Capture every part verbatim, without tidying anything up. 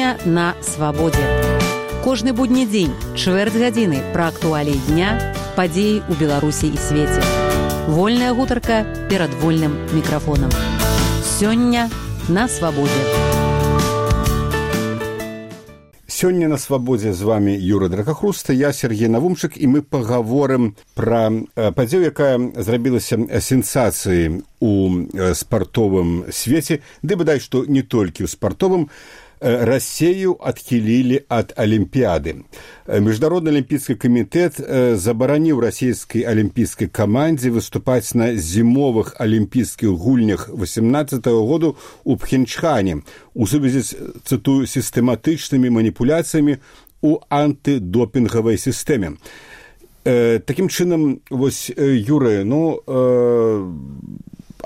Сёння на свабодзе. Кожны будні дзень, чвэрць гадзіны пра актуаліі дня, падзеі ў Беларусі і свеце. Вольная гутарка перад вольным мікрафонам. Сёння на свабодзе. Сёння на свабодзе з вами Юра Дракахруста, я Сергей Навумчык, і мы пагаворым пра падзею, якая зрабілася сенсацыяй у спартовым свеце, ды бадай што не толькі ў спартовым. Россию адхілілі ад Алімпіяды. Міжнародны алімпійскі камітэт забараніў расійскай алімпійскай камандзе выступаць на зімовых алімпійскіх гульнях восемнадцатого году у Пхенчхане у сувязі з, цытую, сістэматычнымі маніпуляцыямі у антыдопінгавай сістэме. Э, такім чынам, вось, Юры, ну, э,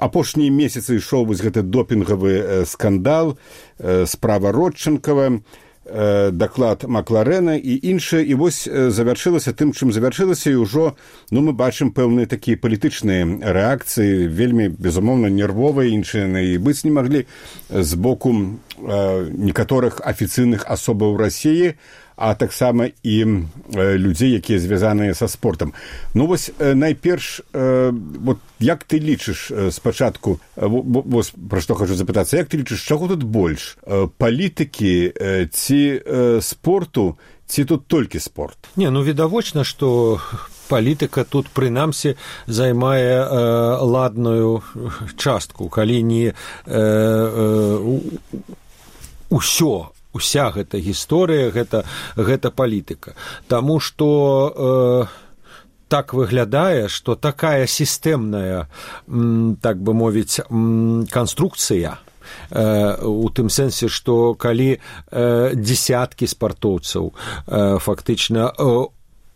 апошнія месяцы ішоў вось гэты допінгавы э, скандал, э, справа Родченкова, э, даклад Макларена і іншае, і вось э, завяршылася тым, чым завяршылася, і ўжо, ну, мы бачым пэўныя такія палітычныя рэакцыі, вельмі, безумоўна, нервовыя, іншыя і быць не маглі з боку э, некаторых афіцыйных асобаў Расіі, а таксама і э, людзей, якія звязаныя са спортам. Ну, вось, э, найперш, э, вот, як ты лічыш э, спачатку, э, вось, пра што хачу запытацца, як ты лічыш, чаго тут больш? Э, палітыкі э, ці э, спорту, ці тут толькі спорт? Не, ну, відавочна, што палітыка тут, прынамсі, займае э, ладную частку, калі не э, э, усё, уся гэта гісторыя, гэта, гэта палітыка. Таму што э, так выглядае, што такая сістэмная, м, так бы мовіць, м, канструкцыя, э, у тым сэнсе, што калі э, дзесяткі спартоўцаў э, фактычна э,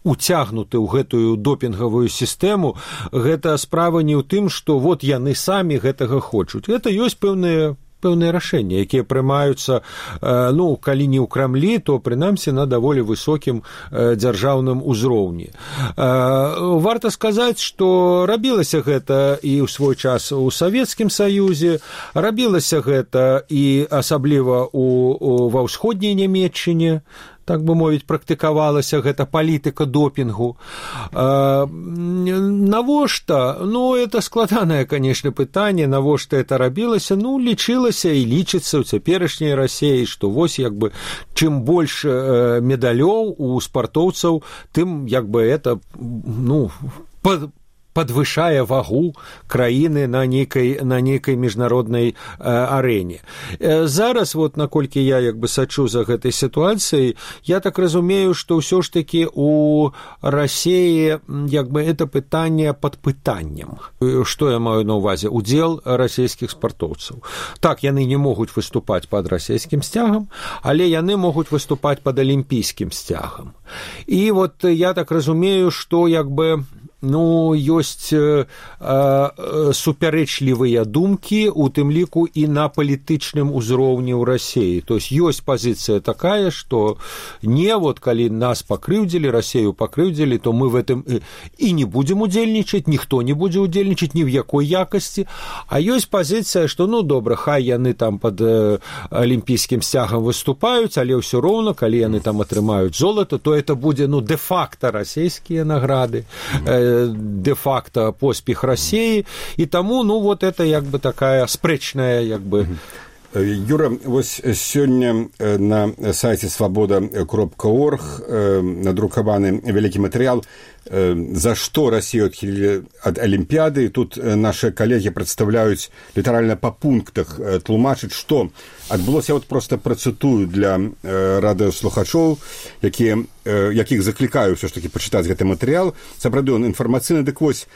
уцягнуты ў гэтую допінгавую сістэму, гэта справа не ў тым, што вот яны самі гэтага хочуць. Гэта ёсць пэўныя пэўныя рашэнні, якія прымаюцца, ну, калі не ў Крамлі, то, прынамсі, на даволі высокім дзяржаўным узроўні. Варта сказаць, што рабілася гэта і ў свой час у Савецкім Саюзе, рабілася гэта і асабліва у, у, ва ўсходняй Нямецчыне, так бы мовіць, практыкавалася гэта палітыка допінгу. Э, навошта? Ну, это складанае, канешне, пытанне, навошта это рабілася? Ну, лічылася і лічыцца ў цяперашняй Расіі, што вось, як бы, чым больш э, медалёў у спартоўцаў, тым, як бы, это, ну, па падвышае вагу краіны на нейкай, на нейкай міжнароднай э, арэне. Э, зараз, вот, наколькі я, як бы, сачу за гэтай сітуацыяй, я так разумею, што ўсё ж такі у Расіі, як бы, это пытанне пад пытаннем. Што я маю на ўвазе? Удзел расійскіх спартоўцаў. Так, яны не могуць выступаць пад расійскім сцягам, але яны могуць выступаць пад алімпійскім сцягам. І вот я так разумею, што, як бы, ну, ёсць э, э, супярэчлівыя думкі, у тым ліку і на палітычным узроўні ў Расіі. То есть ёсць пазіцыя такая, што не, вот, калі нас пакрыўдзілі, Расію пакрыўдзілі, то мы в этом і не будзем удзельнічаць, ніхто не будзе удзельнічаць ні в якой якасці. А ёсць пазіцыя, што, ну, добра, хай яны там пад э, алімпійскім сцягам выступаюць, але ўсё роўна, калі яны там атрымаюць золата, то это будзе, ну, дэ-факта расійскія награды, э, де-факто поспех России, и тому, ну, вот это, як бы, такая спрэчная, як бы. Юра, вось сёння на сайце свабода кропка орг надрукаваны вялікі матэрыял, за што Расію адхілілі ад Алімпіяды. Тут нашы калегі прадстаўляюць літаральна па пунктах, тлумачыць, што адбылося. Я вот проста працытую для радыёслухачоў, якія, якіх заклікаю ўсё ж такі пачытаць гэты матэрыял. Сапраўды, ён інфармацыйны. Дык вось,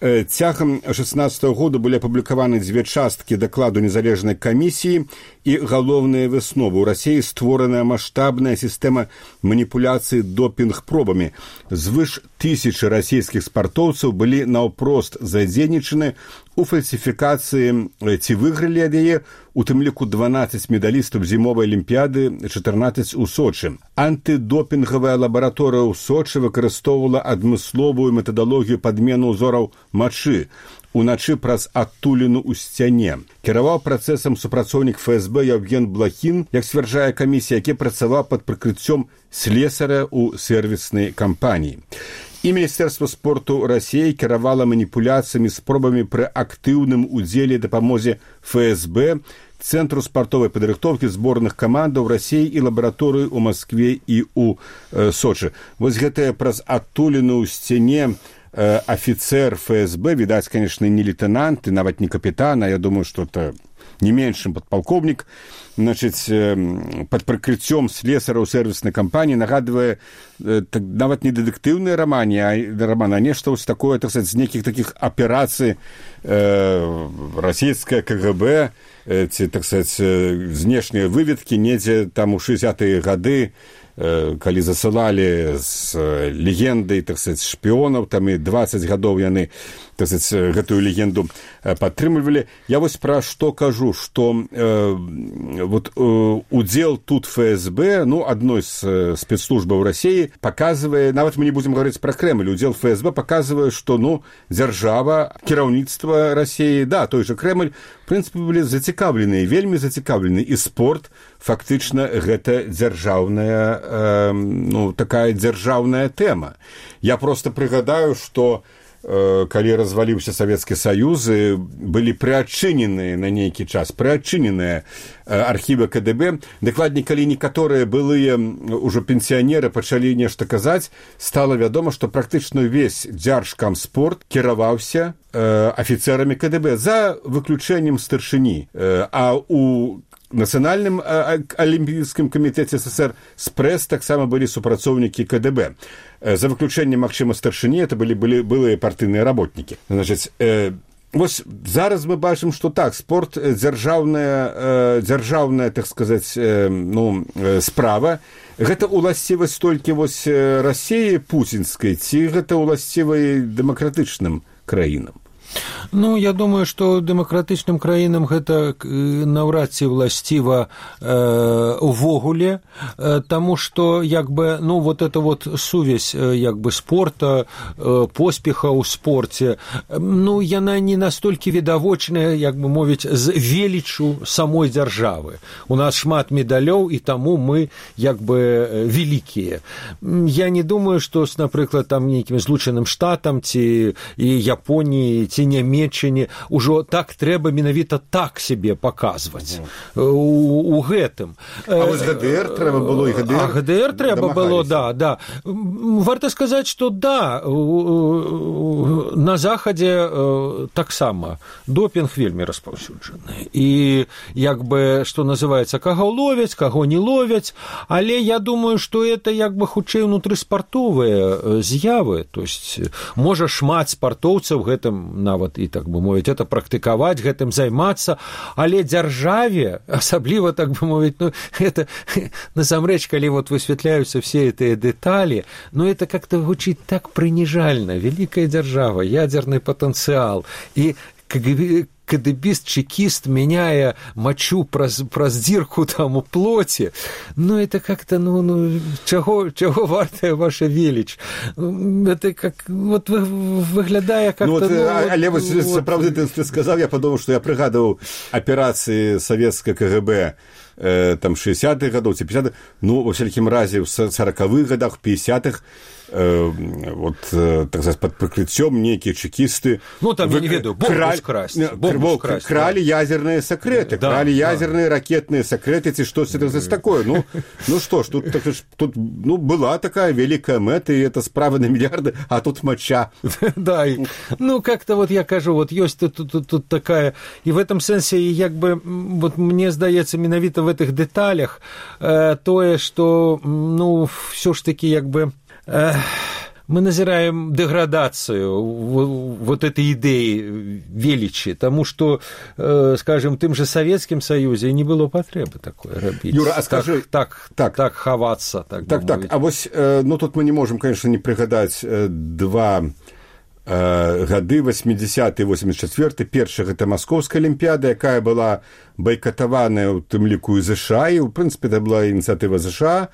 цягам шэснаццатага году былі апублікаваны дзве часткі дакладу незалежнай камісіі і галоўныя высновы. У Расіі створаная маштабная сістэма маніпуляцыі допінг-пробамі. Звыш тысячы расійскіх спартоўцаў былі наўпрост задзейнічаны у фальсіфікацыі ці выйгралі ад яе, у тым ліку дванаццаць медалістаў зімовай алімпіяды, чатырнаццаць у Сочы. Антыдопінгавая лабараторыя ў Сочы выкарыстоўвала адмысловую метадалогію падмену ўзораў мачы. уначы праз адтуліну ў сцяне. Кіраваў працэсам супрацоўнік эф эс бэ Яўген Блахін, як сцвярджае камісія, які працаваў пад прыкрыццём слесара ў сэрвіснай кампаніі. І Міністэрства спорту Расіі кіравала маніпуляцыямі, спробамі пры актыўным удзеле дапамозе эф эс бэ, Цэнтру спартовай падрыхтоўкі зборных камандаў Расіі і лабараторыі ў Маскве і ў э, Сочы. Вось гэтая праз адтуліну ў сцяне э, афіцэр эф эс бэ, відаць, конечно, не лейтенант, і нават не капітан, а я думаю, што это не менш, чым падпалкоўнік, значыць, э, пад прыкрыццём слесара ў сэрвіснай кампаніі нагадвае э, так, нават не дэтэктыўныя раманы, а раман, а нешта вось такое, так сказаць, з нейкіх такіх аперацый э, расійскае ка гэ бэ, э, ці, так сказаць, знешнія выведкі недзе там у шэсцідзятыя гады, э, калі засылалі з легендай, так сказаць, шпіёнаў, там і дваццаць гадоў яны, так сказаць, гэтую легенду падтрымлівалі. Я вось пра што кажу, што э, вот э, удзел тут эф эс бэ, ну, адной з э, спецслужбаў Расіі, паказвае, нават мы не будзем гаварыць пра Крэмль, удзел эф эс бэ паказвае, што, ну, дзяржава, кіраўніцтва Расіі, да, той жа Крэмль, в прынцыпе, былі зацікаўлены, вельмі зацікаўлены, і спорт, фактычна, гэта дзяржаўная, э, ну, такая дзяржаўная тэма. Я проста прыгадаю, што калі разваліўся Савецкі Саюз, былі прыадчыненыя на нейкі час, прыадчыненыя архівы ка дэ бэ. Дакладней, калі некаторыя былыя ўжо пенсіянеры пачалі нешта казаць, стала вядома, што практычна ўвесь дзяржкамспорт кіраваўся афіцэрамі ка дэ бэ, за выключэннем старшыні. А у Нацыянальным алімпійскім камітэце эс эс эс эр спрэс таксама былі супрацоўнікі ка дэ бэ. За выключэннем, магчыма, старшыні, это былі, былі былыя партыйныя работнікі. Значыць, э, вось зараз мы бачым, што так, спорт дзяржаўная, э, дзяржаўная, так сказаць, э, ну, э, справа. Гэта уласцівасць толькі вось Расіі пуцінскай, ці гэта ўласцівай дэмакратычным краінам? Ну, я думаю, што дэмакратычным краінам гэта наўрад ці ўласціва э, увогуле, э, таму што, як бы, ну, вот эта вот сувязь, э, як бы, спорта, э, поспеха ў спорце, э, ну, яна не настолькі відавочная, як бы мовіць, з велічу самой дзяржавы. У нас шмат медалёў, і таму мы, як бы, вялікія. Я не думаю, што, напрыклад, там нейкім Злучаным Штатам ці і Японіі, ці Нямецчыне ўжо так трэба менавіта так сябе паказваць у, у гэтым. А вось гэ дэ эр трэба было, і гэ дэ эр, а гэ дэ эр трэба было, да, да. Варта сказаць, што да, на захадзе таксама допінг вельмі распаўсюджаны. І як бы, што называецца, каго ловяць, каго не ловяць, але я думаю, што это як бы хутчэй унутрыспартовыя з'явы, то есть можа шмат спартоўцаў гэтым нават і, так бы мовіць, это практыкаваць, гэтым займацца, але дзяржаве, асабліва, так бы мовіць, ну, это, насамрэч, калі вот высвятляюцца все гэтыя дэталі, ну, это как-то гучыць так прыніжальна. Великая дзяржава, ядерный потенциал, і кадебіст-чекіст, меняя мочу праз, праз дзірку там у плоці, ну, это как-то, ну, ну чаго, чаго вартая ваша веліч? Это как, вот выглядае как-то... Ну, вот, ну, але вот, вот, сапраўды, ты, ты сказал, я подумал, что я прыгадывал операции советского ка гэ бэ э, там шэсцідзятых гадоў ці пятидесятых, ну, во всякім разе, в сорокавых годах, пятидесятых, э, вот, э, так сказать, под прикрытием некие чекисты... Ну, там, вы, я не ведаю, бомбу краль, скрасть. Бомбу скрасть, крали да. ядерные секреты, да, крали да. ядерные ракетные секреты, ці что это такое. Ну, ну что ж, тут, так, тут ну, была такая великая мета, и это справа на миллиарды, а тут моча. Да, ну, как-то вот я кажу, вот есть тут, тут, тут такая... И в этом сенсе, як бы, вот мне здаецца, менавіта в этих деталях, э, тое, что, ну, все ж таки, як бы... Э, мы назираем деградацию вот этой идеи величи, тому что, э, скажем, тем же Советским Союзе не было потребы такой робить. Юра, а скажи... Так, так, так, так ховаться. Так, так, так. А вот, э, ну, тут мы не можем, конечно, не пригадать э, два э, гады, восьмидесятые, восемьдесят четвёртый. Першая – это Московская Олимпиада, якая была бойкотованная у тым ліку і ЗША, і, в принципе, это была инициатива ЗША,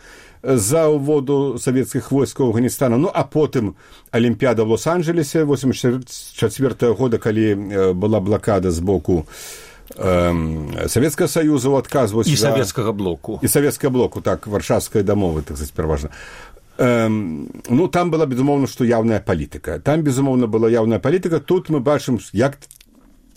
за ўводу савецкіх войскаў Афганістана. Ну, а потым Алімпіяда в Лос-Анджелесе восемьдесят четвёртого года, калі была блакада з боку э, Савецкага Саюза, адказваць... І за... савецкага блоку. І савецкага блоку, так, варшавскай дамовы, так сказаць, пераважна. Э, ну, там была, безумоўна, што яўная палітыка. Там, безумоўна, была яўная палітыка. Тут мы бачым, як...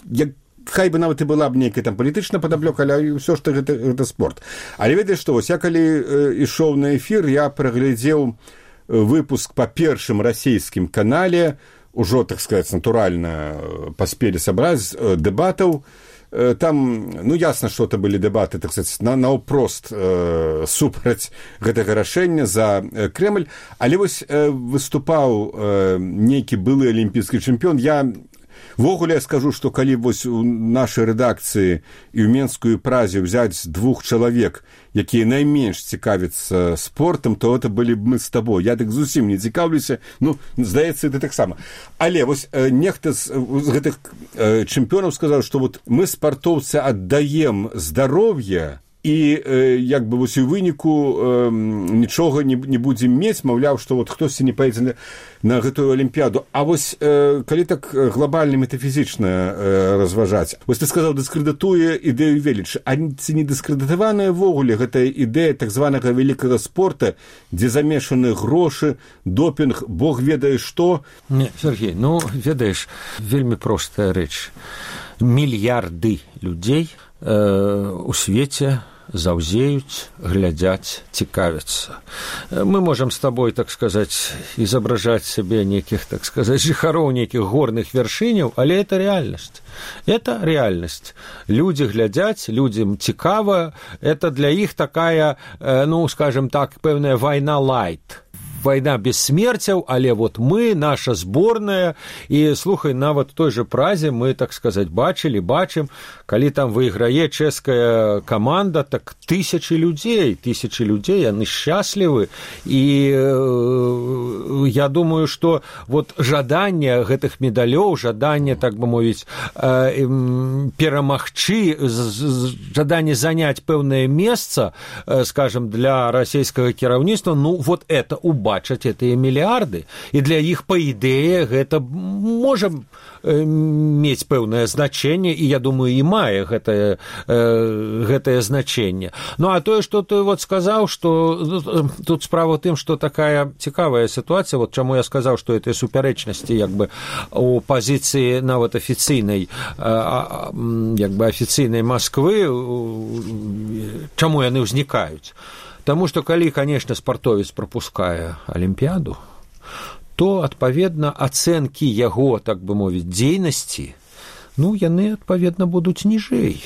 як хай бы нават і была б нейкая там палітычна падаблёк, але ўсё ж гэта, гэта спорт. Але ведаеш што, вось я калі э, ішоў на эфір, я праглядзеў выпуск па першым расійскім канале, ужо, так сказаць, натуральна паспелі сабраць э, дэбатаў. Э, там, ну, ясна, што это былі дэбаты, так сказаць, на, наўпрост э, супраць гэтага рашэння за э, Крэмль. Але вось э, выступаў э, нейкі былы алімпійскі чэмпіён. Я ввогуле я скажу, што калі вось у нашай рэдакцыі і ў Менскую празе ўзяць двух чалавек, якія найменш цікавяцца спортам, то это былі б мы з табой. Я так зусім не цікаўлюся, ну, здаецца, ты таксама. Але вось э, нехта з, з гэтых э, чэмпіёнаў сказаў, што вот мы, спартоўцы, аддаем здароўе, і э, як бы вось у выніку э, нічога не, не будзем мець, маўляў, што вот хтосьці не паедзе на, на гэтую алімпіяду. А вось э, калі так глобальна метафізічна э, разважаць, вось ты сказаў, дыскрэдытуе ідэю велічы. А ці не дыскрэдытаваная ввогуле гэтая ідэя так званага вялікага спорта, дзе замешаны грошы, допінг, бог ведае што? Не, Сергей, ну, ведаеш, вельмі простая рэч. Мільярды людзей э, у свеце заўзеюць, глядзяць, цікавяцца. Мы можам з табой, так сказаць, изображаць сабе нейкіх, так сказаць, жыхароў нейкіх горных вяршыняў, але это рэальнасць. Это рэальнасць. Людзі глядзяць, людзям цікава, это для іх такая, ну, скажем так, пэўная вайна лайт. Война без смерцяў, але вот мы, наша зборная, і, слухай, нават той же празе мы, так сказаць, бачылі, бачым, калі там выйграе чэшская каманда, так тысячы людзей, тысячы людзей, яны шчаслівы, і э, я думаю, што вот жаданне гэтых медалёў, жаданне, так бы мовіць, э, э, перамагчы, жаданне заняць пэўнае месца, э, скажем, для расійскага кіраўніцтва, ну, вот это убавіць. Бачаць гэтыя мільярды, і для іх, па ідэі, гэта можа мець пэўнае значэнне, і, я думаю, і мае гэтае, гэтае значэнне. Ну, а тое, што ты вот сказаў, што тут справа ў тым, што такая цікавая сітуацыя, вот чаму я сказаў, што этой супярэчнасці, як бы, у пазіцыі нават афіцыйнай, як бы, афіцыйнай Масквы, чаму яны ўзнікаюць? Таму што калі, конечно, спартовец прапускае алімпіяду, то, адпаведна, ацэнкі яго, так бы мовіць, дзейнасці, ну, яны, адпаведна, будуць ніжэй.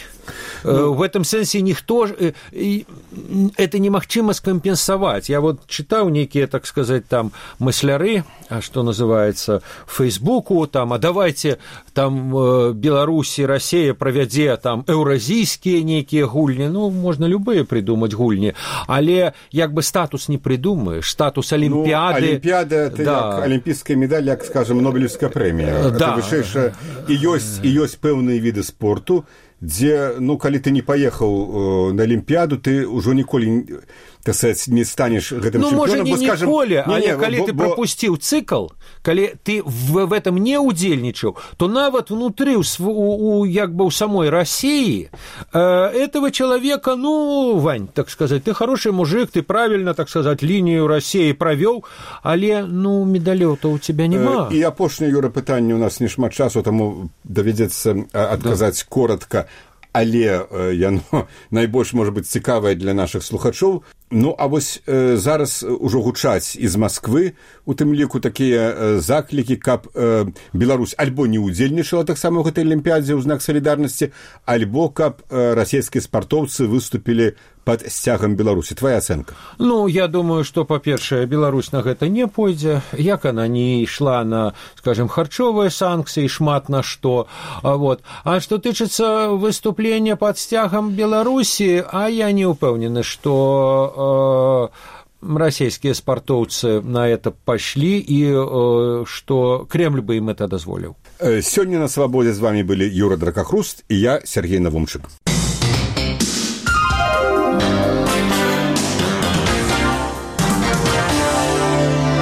Ну, в этом сенсе никто... Это немагчыма скампенсаваць. Я вот читал некие, так сказать, там мысляры, что называется, в Фейсбуку, там, а давайте там Беларусь и Россия правядзе там еўразійскія некие гульни. Ну, можно любые придумать гульни. Але як бы статус не придумаешь, статус Олимпиады... Ну, Олимпиада — это да. Як олимпийская медаль, як, скажем, Нобелевская премия. Да. Это вышэйшая... И ёсць, и ёсць пэўныя виды спорту, дзе, ну, калі ты не паехаў э, на Алімпіяду, ты ўжо ніколі, так сказать, не станеш гэтым ну, чэмпіёнам. Ну, можа, не скажем, ніколі, не, але не, калі бо, ты бо... прапусціў цыкл, калі ты в, в этом не удзельнічаў, то нават внутры, у, у, як бы, у самой России э, этого человека, ну, Вань, так сказать, ты хороший мужик, ты правильно, так сказать, линию России провёл, але, ну, медалёў-то у тебя нема. Э, і апошняе, Юра, пытанне, у нас не шмат часу, таму давядзецца адказаць да. коротко. Але яно найбольш, можа быць, цікавае для нашых слухачоў. Ну, а вось э, зараз ужо гучаць з Масквы, у тым ліку такія э, заклікі, каб э, Беларусь альбо не ўдзельнічала таксама ў гэтай алімпіядзе ў знак салідарнасці, альбо каб э, расійскія спартоўцы выступілі под сцягам Беларусі. Твоя ацэнка? Ну, я думаю, што, па-першае, Беларусь на гэта не пойдзе, як она не ішла на, скажем, харчовыя санкцыі, шмат на што. А, вот. А што тычыцца выступлення под сцягам Беларусі, а я не ўпэўнены, што э, расійскія спартоўцы на это пашлі і э, што Кремль бы ім это дазволіў. Сёння на свабодзе з вами былі Юра Дракахруст і я, Сергей Навумчык.